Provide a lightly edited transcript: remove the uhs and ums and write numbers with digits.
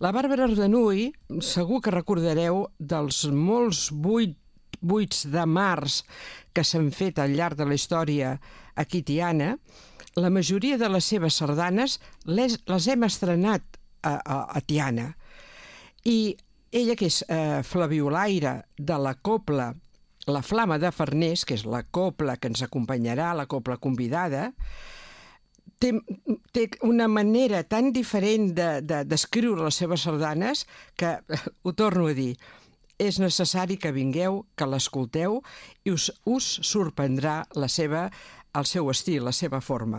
La Bàrbara Ardanuy, segur que recordareu dels molts buits de març que s'han fet al llarg de la història aquí a Tiana. La majoria de les seves sardanes les hem estrenat a Tiana. I ella, que és flabiolaire de la cobla La Flama de Farners, que és la cobla que ens acompanyarà, la cobla convidada, té una manera tan diferent d'escriure les seves sardanes que, ho torno a dir, és necessari que vingueu, que l'escolteu i us sorprendrà el seu estil, la seva forma.